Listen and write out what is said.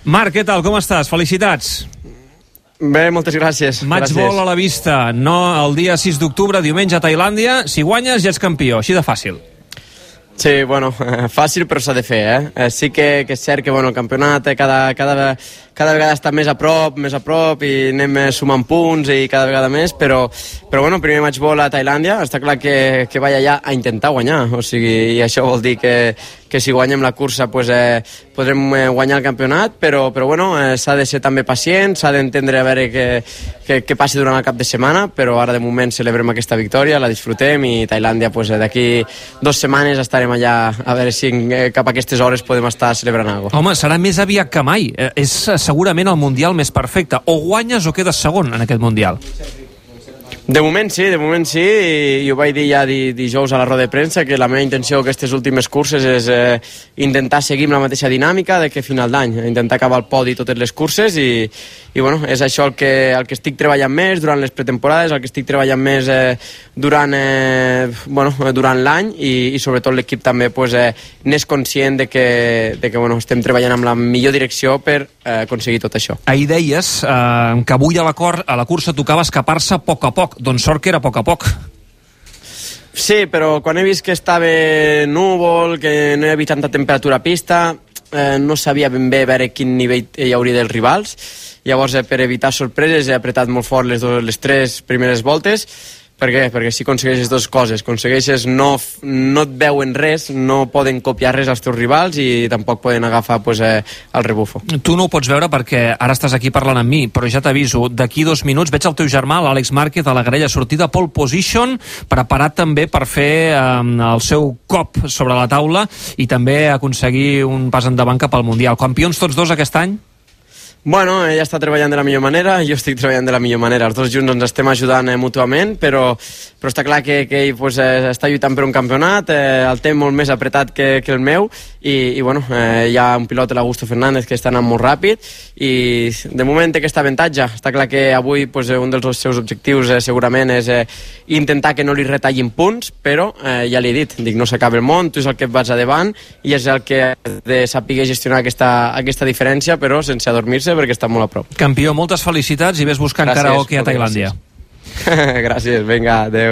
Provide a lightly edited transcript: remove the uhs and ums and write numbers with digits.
Marc, què tal? Com estàs? Felicitats. Bé, moltes gràcies. Matchball a la vista, no el dia 6 d'octubre, diumenge a Tailàndia. Si guanyes ja ets campió, així de fàcil. Sí, bueno, fàcil però s'ha de fer, sí que és cert que el campionat cada vegada està més a prop i anem sumant punts i cada vegada més, però primer matchball a Tailàndia, està clar que vaig allà a intentar guanyar, o sigui, i això vol dir que si guanyem la cursa podrem guanyar el campionat, però s'ha de ser també pacient, s'ha d'entendre a veure què passi durant el cap de setmana, però ara de moment celebrem aquesta victòria, la disfrutem i Tailàndia d'aquí 2 setmanes estarem allà a veure si cap a aquestes hores podem estar celebrant alguna cosa. Home, serà més aviat que mai. És segurament el Mundial més perfecte. O guanyes o quedes segon en aquest Mundial. De moment sí, i ho vaig dir ja dijous a la roda de premsa, que la meva intenció aquestes últimes curses és intentar seguir amb la mateixa dinàmica de que final d'any, intentar acabar al podi totes les curses i és això el que estic treballant més durant les pretemporades, el que estic treballant més durant l'any i sobretot l'equip també n'és conscient de que estem treballant amb la millor direcció per aconseguir tot això. Ahir deies que avui a la cursa tocava escapar-se a poc a poc. Doncs sort que era a poc a poc. Sí, però quan he vist que estava núvol, que no hi havia tanta temperatura a pista, no sabia ben bé veure quin nivell hi hauria dels rivals. Llavors, per evitar sorpreses, he apretat molt fort les 3 primeres voltes. Per què? Perquè si aconsegueixes 2 coses, no et veuen res, no poden copiar res als teus rivals i tampoc poden agafar el rebufo. Tu no ho pots veure perquè ara estàs aquí parlant amb mi, però ja t'aviso, d'aquí 2 minuts veig el teu germà, l'Àlex Márquez, a la grella sortida pole position, preparat també per fer el seu cop sobre la taula i també aconseguir un pas endavant cap al Mundial. Campions tots 2 aquest any? Bueno, ella està treballant de la millor manera, jo estic treballant de la millor manera. Els dos junts ens estem ajudant mútuament, però està clar que ell està lluitant per un campionat, el té molt més apretat que el meu, i hi ha un pilot, l'Augusto Fernández, que està anant molt ràpid, i de moment té aquest avantatge. Està clar que avui un dels seus objectius segurament és intentar que no li retallin punts, però ja li he dit, no s'acaba el món, tu és el que et vas a davant, i és el que ha de saber gestionar aquesta diferència, però sense adormir-se, perquè està molt a prop. Campió, moltes felicitats i ves buscant karaoke a Tailàndia. Gràcies, vinga, adeu.